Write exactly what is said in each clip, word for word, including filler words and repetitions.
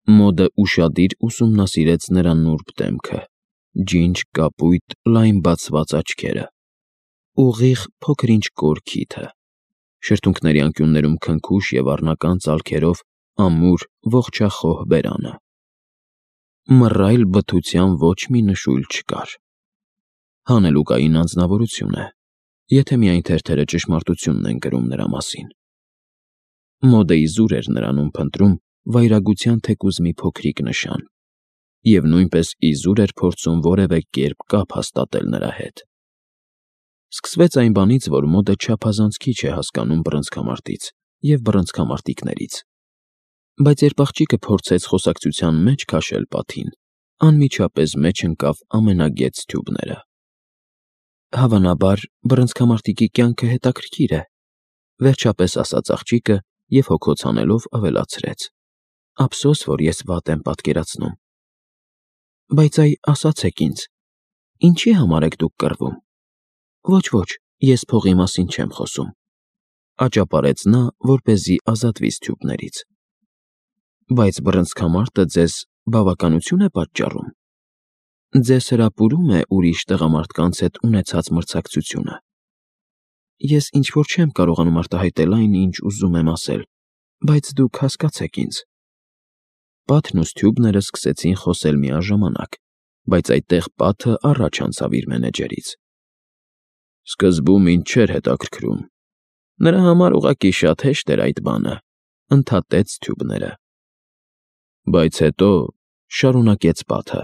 Մոդը ուշադիր ուսումնասիրեց նրա նուրբ դեմքը, ջինջ կապույտ լայն բացված աչքերը, ուղիղ փոքր-ինչ կոր քիթը, շրթունքների անկյուններում քնքուշ և առնական ծալքերով ամուր ողջախոհ բերանը։ Մռայլ բթության ոչ մի նշույլ չկար։ Հանելուկային անձնավորություն է, եթե միայն թերթերը ճշմարտությունն են գրում նրա մասին։ Մոդը իզուր էր նրանում փնտրում վայրագության թեկուզ մի փոքրիկ նշան, և նույնպես իզուր էր փորձում որևէ կերպ կապ հաստատել նրա հետ։ Սկսվեց այն բանից, որ մոդը չափազանց քիչ է հասկանում բռնցքամարտից և բռնցքամարտիկներից, բայց երբ աղջիկը փորձեց խոսակցության մեջ քաշել պատին, անմիջապես մեջ ընկավ ամենագեծ թյուբները։ Հավանաբար, բռնցքամարտիկի կյանքը հետաքրքիր է, վերջապես ասաց աղջիկը և հոգոց հանելով ավելացրեց. Ափսոս, որ ես վատ եմ պատկերացնում։ Բայց այ ասացեք ինձ, ինչի համար եք դուք կռվում։ Ոչ, ոչ, ես փողի մասին չեմ խոսում, աճապարեց նա, որպեսզի ազատվի թյուբներից։ Բայց բռնցքամարտը ձեզ բավականություն է պատճառում։ Ձեզ հրապուրում է ուրիշ տղամարդկանց հետ ունեցած մրցակցությունը։ Ես ինչ-որ չեմ կարողանում արտահայտել այն, ինչ ուզում եմ ասել, բայց դուք հասկացեք ինձ։ Պատն ու թյուբները սկսեցին խոսել միաժամանակ, բայց այդտեղ պատը առաջ անցավ իր մենեջերից։ Սկզբում ինձ չէր հետաքրքրում։ Նրա համար ուղղակի շատ հեշտ էր այդ բանը, ընդհատեց թյուբները։ Բայց հետո, շարունակեց պատը,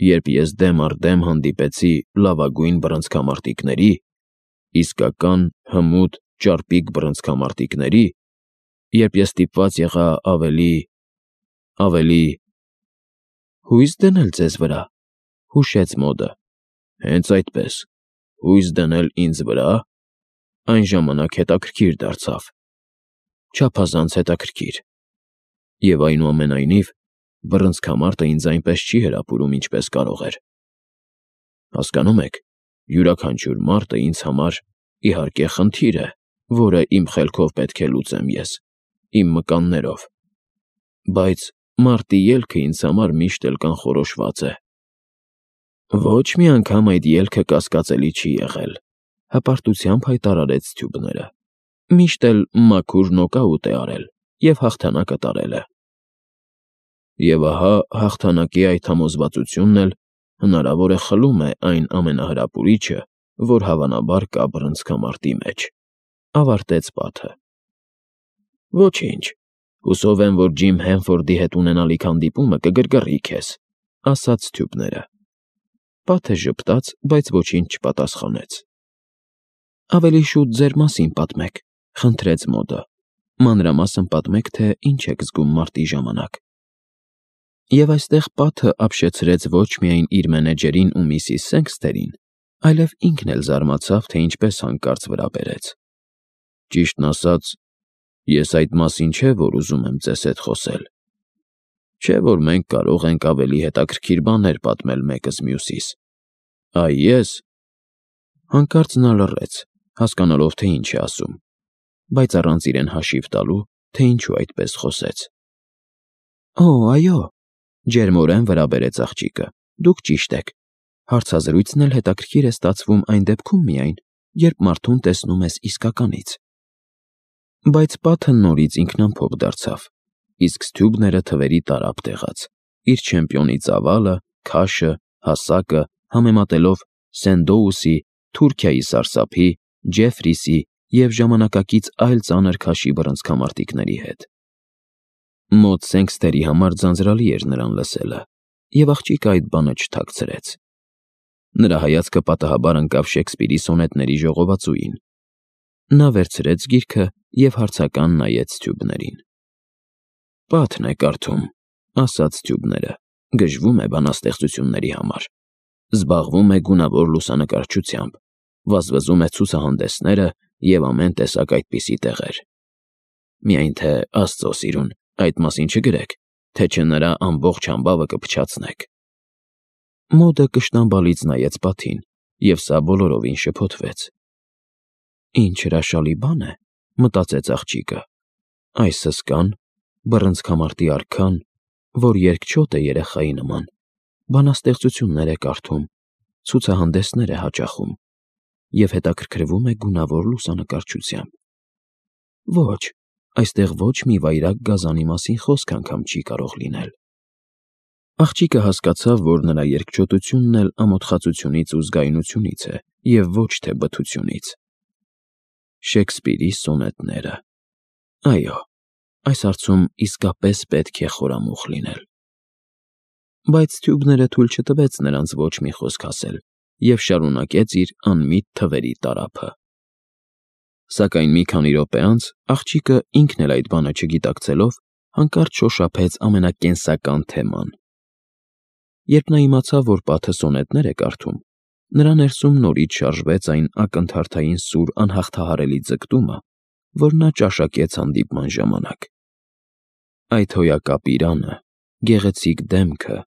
երբ ես դեմ առ դեմ հանդիպեցի լավագույն բռնցքամարտիկների, իսկական հմուտ ճարպիկ բռնցքամարտիկների, երբ ես ստիպված եղա ավելի… ավելի… հույս դնել ձեզ վրա, հուշեց մոդը։ Հենց այդպես, հույս դնել ինձ վրա… Այն ժամանակ հետաքրքիր դարձավ, չափազանց հետաքրքիր, և այնուամենայնիվ բռնցքամարտը ինձ այնպես չի հրապուրում, ինչպես կարող էր։ Հասկանում եք, յուրաքանչյուր մարտը ինձ համար, իհարկե, խնդիր է, որը իմ խելքով պետք է լուծեմ ես, իմ մկաններով, բայց մարտի ելքը ինձ համար միշտ էլ կանխորոշված է։ Ոչ մի անգամ այդ ելքը կասկածելի չի եղել, հպարտությամբ հայտարարեց թյուբները։ Միշտ էլ մաքուր նոկաուտ է արել և հաղթանակը տարել է։ Եվ ահա հաղթանակի այդ համոզվածությունն էլ հնարավոր է խլում է այն ամենահրապուրիչը, որ հավանաբար կա բռնցքամարտի մեջ, ավարտեց պատը։ Ոչինչ, հուսով եմ, որ Ջիմ Հենֆորդի հետ ունենալիք հանդիպումը կգրգռի քեզ, ասաց թյուբները։ Պատը ժպտաց, բայց ոչինչ չպատասխանեց։ Ավելի շուտ ձեր մասին պատմեք, խնդրեց մոդը, մանրամասն պատմեք, թե ինչ եք զգում մարտի ժամանակ։ Եվ այստեղ պատը ապշեցրեց ոչ միայն իր մենեջերին ու միսիս Սենքստերին, այլև ինքն էլ զարմացավ, թե ինչպես հանկարծ վրա բերեց։ Ճիշտն ասած, ես այդ մասին չէ, որ ուզում եմ ձեզ հետ խոսել։ Չէ, որ մենք կարող ենք ավելի հետաքրքիր բաներ պատմել մեկս մյուսիս։ Այ ես… Հանկարծ նա լռեց, հասկանալով, թե ինչ է ասում, բայց առանց իրեն հաշիվ տալու, թե ինչու այդպես խոսեց։ Օ, այո, ջերմորեն վրա բերեց աղջիկը, դուք ճիշտ եք։ Հարցազրույցն էլ հետաքրքիր է ստացվում այն դեպքում միայն, երբ մարդուն տեսնում ես իսկականից։ Բայց պատը նորից ինքնամփոփ դարձավ, իսկ Սթյուբները թվերի տարափ տեղաց, իր չեմպիոնի ծավալը, քաշը, հասակը համեմատելով Սենդոուսի, Թուրքիայի սարսափի, Ջեֆրիսի և ժամանակակից այլ ծանր քաշի բռնցքամարտիկների հետ։ Մոտ Սենքստերի համար ձանձրալի էր նրան լսելը, և աղջիկը այդ բանը չթաքցրեց։ Նրա հայացքը պատահաբար ընկավ Շեքսպիրի սոնետների ժողովածուին։ Նա վերցրեց գիրքը և հարցական նայեց թյուբներին։ Պատն է կարդում, ասաց թյուբները, գժվում է բանաստեղծությունների համար, զբաղվում է գունավոր լուսանկարչությամբ, վազվզում է ցուցահանդեսները և ամեն տեսակ այդպիսի տեղեր։ Միայն թե, աստծո սիրուն, այդ մասին չգրեք, թե չէ նրա ամբողջ համբավը կփչացնեք։ Մոդը կշտամբալից նայեց պատին, և սա բոլորովին շփոթվեց։ Ինչ հրաշալի բան է, մտածեց աղջիկը, այս հսկան, բռնցքամարտի արքան որ երկչոտ է երեխայի նման, բանաստեղծություններ է կարդում, ցուցահանդեսներ է հաճախում և հետաքրքրվում է գունավոր լուսանկարչությամբ։ Ոչ, այստեղ ոչ մի վայրագ գազանի մասին խոսք անգամ չի կարող լինել։ Աղջիկը հասկացավ, որ նրա երկչոտությունն էլ ամոթխածությունից ու զգայունությունից է և ոչ թե բթությունից։ Շեքսպիրի սոնետները։ Այո, այս հարցում իսկապես պետք է խորամուխ լինել։ Բայց Թյուբները թույլ չտվեց նրանց ոչ մի խոսք ասել և շարունակեց իր անմիտ թվերի տարափը։ Սակայն մի քանի րոպե անց աղջիկը ինքն էլ այդ բանը չգիտակցելով հանկարծ շոշափեց ամենակենսական թեման։ Երբ նա իմացավ, որ պատը սոնետներ է կարդում, նրա ներսում նորից շարժվեց այն ակնթարթային սուր անհաղթահարելի ձգտումը, որ նա ճաշակեց հանդիպման ժամանակ։ Այդ հոյակապ իրանը, գեղեցիկ դեմքը,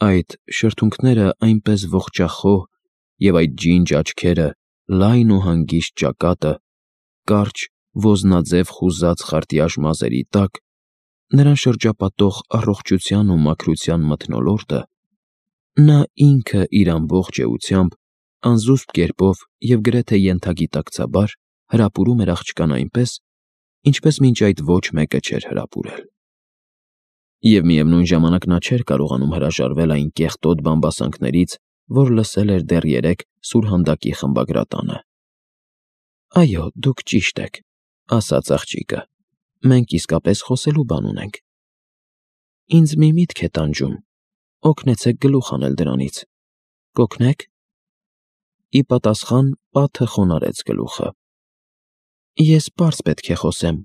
այդ շրթունքները այնպես ողջախոհ և այդ ջինջ աչքերը, լայն ու հանգիստ ճակատը, կարճ, ոզնաձև խուզած խարտյաշ մազերի տակ, նրան շրջապատող առողջության ու մաքրության մթնոլորտը, նա ինքը իր ամբողջ էությամբ, անզուսպ կերպով և գրեթե ենթագիտակցաբար հրապուրում էր աղջկան այնպես, ինչպես մինչ այդ ոչ մեկը չէր հրապուրել։ Եվ միևնույն ժամանակ նա չէր կարողանում հրաժարվել այն կեղտոտ բամբասանքներից, որ լսել էր դեռ երեկ սուրհանդակի խմբագրատանը։ Այո, դուք ճիշտ եք, ասաց աղջիկը, մենք իսկապես խոսելու բան ունենք։ Ինձ մի միտք է տանջում, օգնեցեք գլուխ հանել դրանից։ Կօգնե՞ք։ Ի պատասխան պատը խոնարհեց գլուխը։ Ես պարզ պետք է խոսեմ,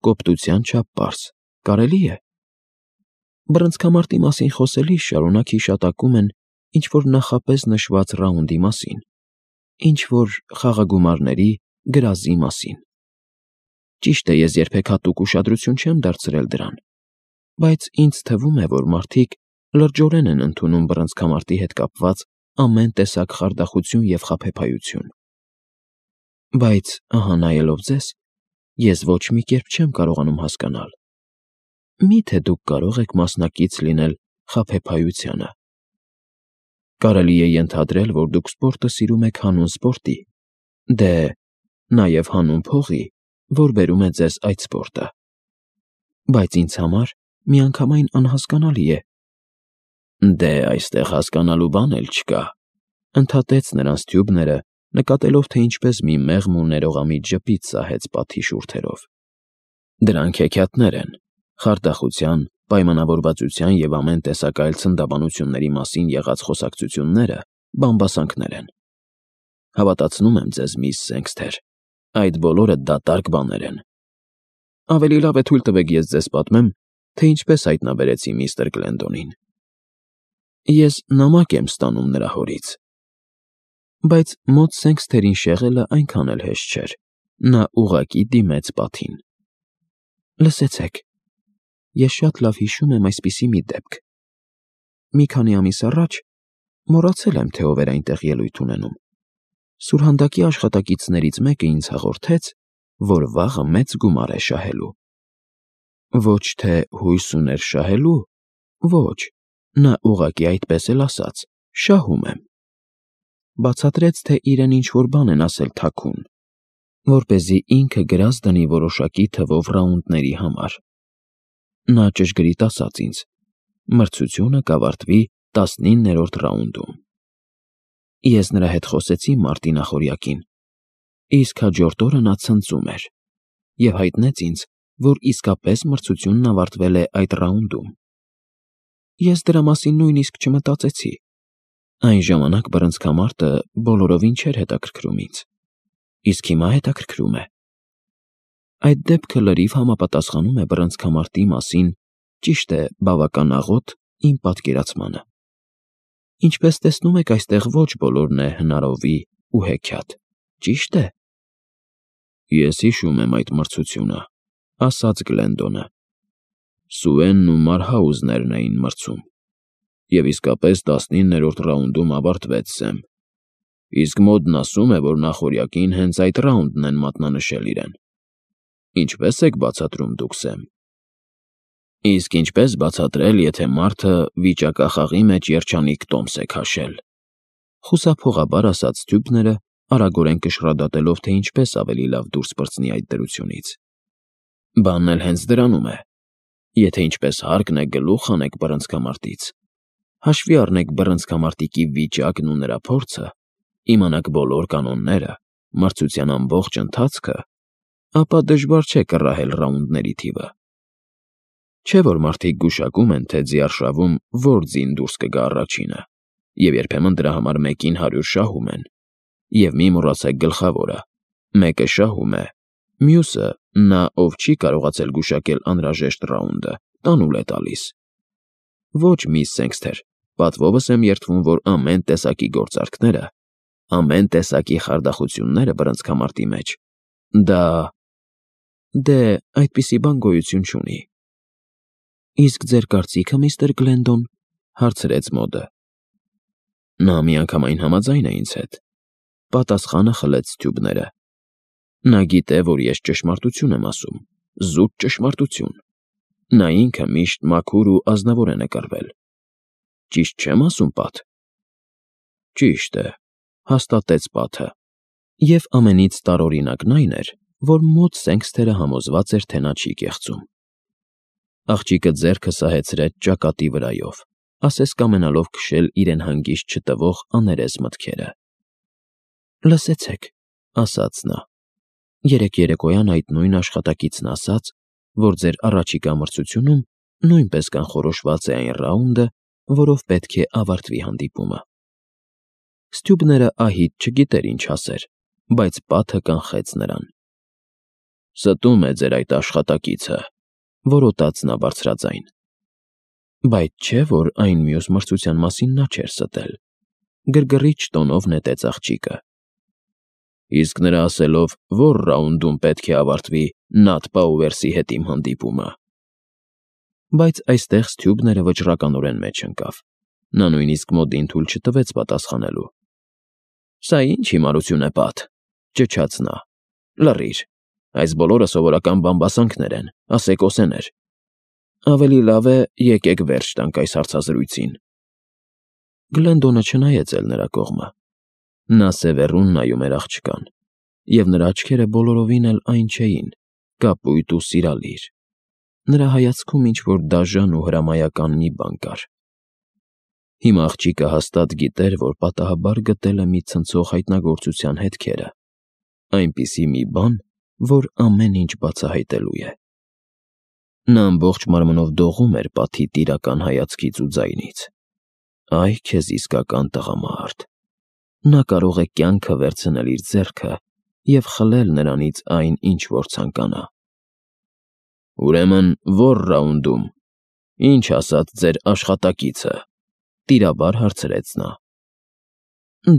կոպտության չափ պարզ, կարելի է։ Բռնցքամարտի մասին խոսելիս շարունակ հիշատակում են ինչ-որ նախապես նշված ռաունդի մասին, ինչ-որ խաղագումարների, գրազի մասին։ Ճիշտ է, ես երբեք հատուկ ուշադրություն չեմ դարձրել դրան, բայց ինձ թվում է, որ մարդիկ լրջորեն են ընդունում բռնցքամարտի հետ կապված ամեն տեսակ խարդախություն և խաբեբայություն։ Բայց, ահա նայելով ձեզ, ես ոչ մի կերպ չեմ կարողանում հասկանալ. մի՞թե դուք կարող եք մասնակից լինել խաբեբայությանը։ Կարելի է ենթադրել, որ դուք սպորտը սիրում եք հանուն սպորտի, դե, նաև հանուն փողի, որ բերում է ձեզ այդ սպորտը։ Բայց ինձ համար միանգամայն անհասկանալի է։ Դե, այստեղ հասկանալու բան էլ չկա, ընդհատեց նրանց Թյուբները, նկատելով, թե ինչպես մի մեղմ ու ներողամիտ ժպիտ սահեց պատի շուրթերով։ Դրանք հեքիաթներ են, խարդախության, պայմանավորվածության և ամեն տեսակ այլ ցնդաբանությունների մասին եղած խոսակցությունները բամբասանքներ են։ Հավատացնում եմ ձեզ, միս Սենքսթեր, այդ բոլորը դատարկ բաներ են։ Ավելի լավ է թույլ տվեք ես ձեզ պատմեմ, թե ինչպես հայտնաբերեցի միստր Գլենդոնին։ Ես նամակ եմ ստանում նրա հորից։ Բայց մոտ Սենքսթերին շեղելը այնքան էլ հեշտ չէր, նա ուղղակի դիմեց պատին։ Լսեցեք, ես շատ լավ հիշում եմ այսպիսի մի դեպք։ Մի քանի ամիս առաջ, մոռացել եմ, թե ով էր այնտեղ ելույթ ունենում, սուրհանդակի աշխատակիցներից մեկը ինձ հաղորդեց, որ վաղը մեծ գումար է շահելու։ Ոչ թե հույս ուներ շահելու, ոչ, նա ուղղակի այդպես էլ ասաց. շահում եմ։ Բացատրեց, թե իրեն ինչ-որ բան են ասել թաքուն, որպեսզի ինքը գրազ դնի որոշակի թվով ռաունդների համար։ Նա ճշգրիտ ասաց ինձ. մրցությունը կավարտվի տասնիններորդ ռաունդում։ Ես նրա հետ խոսեցի մարտի նախօրյակին, իսկ հաջորդ օրը նա ցնծում էր և հայտնեց ինձ, որ իսկապես մրցությունն ավարտվել է այդ ռաունդում։ Ես դրա մասին նույնիսկ չմտածեցի։ Այն ժամանակ բռնցքամարտը բոլորովին չէր հետաքրքրում ինձ, իսկ հիմա հետաքրքրում է։ Այդ դեպքը լրիվ համապատասխանում է բռնցքամարտի մասին, ճիշտ է, բավական աղոտ, իմ պատկերացմանը։ Ինչպես տեսնում եք, այստեղ ոչ բոլորն է հնարովի ու հեքիաթ, ճիշտ է։ Ես հիշում եմ այդ մրցությունը, ասաց Գլենդոնը։ Սուենն ու Մարհաուզներն էին մրցում։ Եվ իսկապես տասնիններորդ ռաունդում ավարտվեց Սեմ։ Իսկ մոդն ասում է, որ նախօրյակին հենց այդ ռաունդն են մատնանշել իրեն։ Ինչպե՞ս եք բացատրում դուք, Սեմ։ Իսկ ինչպես բացատրել, եթե մարդը վիճակախաղի մեջ երջանիկ տոմս է քաշել։ Խուսափողաբար ասաց Սթյուպները, արագորեն կշռադատելով, թե ինչպես ավելի լավ դուրս պրծնի այդ դրությունից։ Բանն էլ հենց դրանում է։ Եթե ինչպես հարկն է գլուխ անեք բռնցքամարտից, հաշվի առնեք բռնցքամարտիկի վիճակն ու նրա փորձը, իմանաք բոլոր կանոնները, մրցության ամբողջ ընթացքը, ապա դժվար չէ կռահել ռաունդների թիվը։ Չէ՞ որ մարդիկ գուշակում են, թե ձիարշավում որ ձին դուրս կգա առաջինը, և երբեմն դրա համար մեկին հարյուր շահում են, և մի մոռացեք գլխավորը. մեկը շահում է, մյուսը, նա, ով չի կարողացել գուշակել անհրաժեշտ ռաունդը, տանուլ է տալիս։ Ոչ, միս Սենքսթեր, պատվովս եմ երդվում, որ ամեն տեսակի գործարքները, ամեն տեսակի խարդախությունները բռնցքամարտի մեջ, դա… Դե, այդպիսի բան գոյություն չունի։ Իսկ ձեր կարծիքը, միստր Գլենդոն, հարցրեց Մոդը։ Նա միանգամայն համաձայն է ինձ հետ, պատասխանը խլեց Սթյուպները։ Նա գիտե, որ ես ճշմարտություն եմ ասում, զուտ ճշմարտություն։ Նա ինքը միշտ մաքուր ու ազնվոր է նկարվել։ Ճիշտ չեմ ասում, Պատ։ Ճիշտ է, հաստատեց Պատը։ Եվ ամենից տարօրինակն այն էր, որ Մոդ Սենքսթերը համոզված էր, թե նա չի կեղծում։ Աղջիկը ձեռքը սահեցրեց ճակատի վրայով, ասես կամենալով քշել իրեն հանգիստ չտվող աներես մտքերը։ Լսեցեք, ասաց նա, երեկ երեկոյան այդ նույն աշխատակիցն ասաց, որ ձեր առաջիկա մրցությունում նույնպես կանխորոշված է այն ռաունդը, որով պետք է ավարտվի հանդիպումը։ Սթյուպները ահիտ չգիտեր ինչ ասեր, բայց Պատը կանխեց նրան։ Ստում է ձեր այդ աշխատակիցը, որոտաց նա բարձրաձայն։ Բայց չէ, որ այն մյուս մրցության մասին նա չէր ստել, գրգռիչ տոնով նետեց աղջիկը։ Իսկ նրա ասելով, որ ռաունդում պետք է ավարտվի Նաթ Պաուերսի հետ իմ հանդիպումը։ Բայց այստեղ Սթյուպները վճռականորեն մեջ ընկավ։ Նա նույնիսկ Մոդին թույլ չտվեց պատասխանելու։ Սա ինչ հիմարություն է, Պատ, ճչաց նա։ Լռիր, այս բոլորը սովորական բամբասանքներ են, ասեկոսեներ։ Ավելի լավ է եկեք վերջ տանք այս հարցազրույցին։ Գլենդոնը չնայեց էլ նրա կողմը։ Նա սևեռուն նայում էր աղջկան, և նրա աչքերը բոլորովին էլ այն չէին, կապույտ ու սիրալիր։ Նրա հայացքում ինչ-որ դաժան ու հրամայական մի բան կար։ Հիմա աղջիկը հաստատ գիտեր, որ պատահաբար գտել է մի ցնցող հայտնագործության հետքերը, այնպիսի մի բան, որ ամեն ինչ բացահայտելու է։ Նա ամբողջ մարմնով դողում էր Պատի տիրական հայացքից ու ձայնից։ Այ քեզ իսկական տղամարդ։ Նա կարող է կյանքը վերցնել իր ձեռքը և խլել նրանից այն, ինչ որ ցանկանա։ Ուրեմն ո՞ր ռաունդում, ինչ ասաց ձեր աշխատակիցը, տիրաբար հարցրեց նա։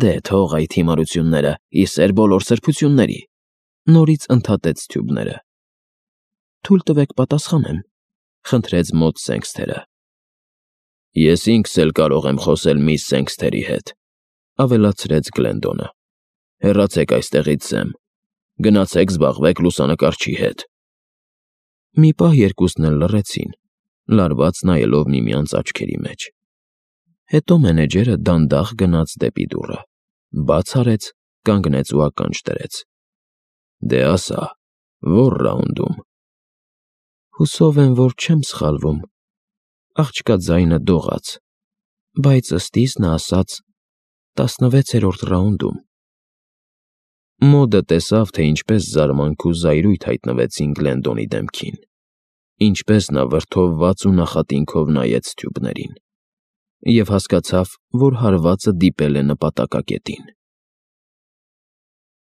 Դե թող այդ հիմարությունները, ի սեր բոլոր սրբությունների, նորից ընդհատեց Սթյուպները։ Թույլ տվեք պատասխանեմ, խնդրեց Մոդ Սենքսթերը։ Ես ինքս էլ կարող եմ խոսել միս Սենքսթերի հետ, ավելացրեց Գլենդոնը։ Հեռացեք այստեղից, Սեմ, գնացեք զբաղվեք լուսանկարչի հետ։ Մի պահ երկուսն էլ լռեցին, լարված նայելով միմյանց աչքերի մեջ։ Հետո մենեջերը դանդաղ գնաց դեպի դուռը, բաց արեց, կանգնեց ու ականջ դրեց։ Դե ասա, ո՞ր ռաունդում։ Հուսով եմ, որ չեմ սխալվում, աղջկա ձայնը դողաց, բայց ըստիս նա ասաց տասնվեցերորդ ռաունդում։ Մոդը տեսավ, թե ինչպես զարմանք ու զայրույթ հայտնվեցին Գլենդոնի դեմքին, ինչպես նա վրդովված ու նախատինքով նայեց Սթյուպներին, և հասկացավ, որ հարվածը դիպել է նպատակակետին։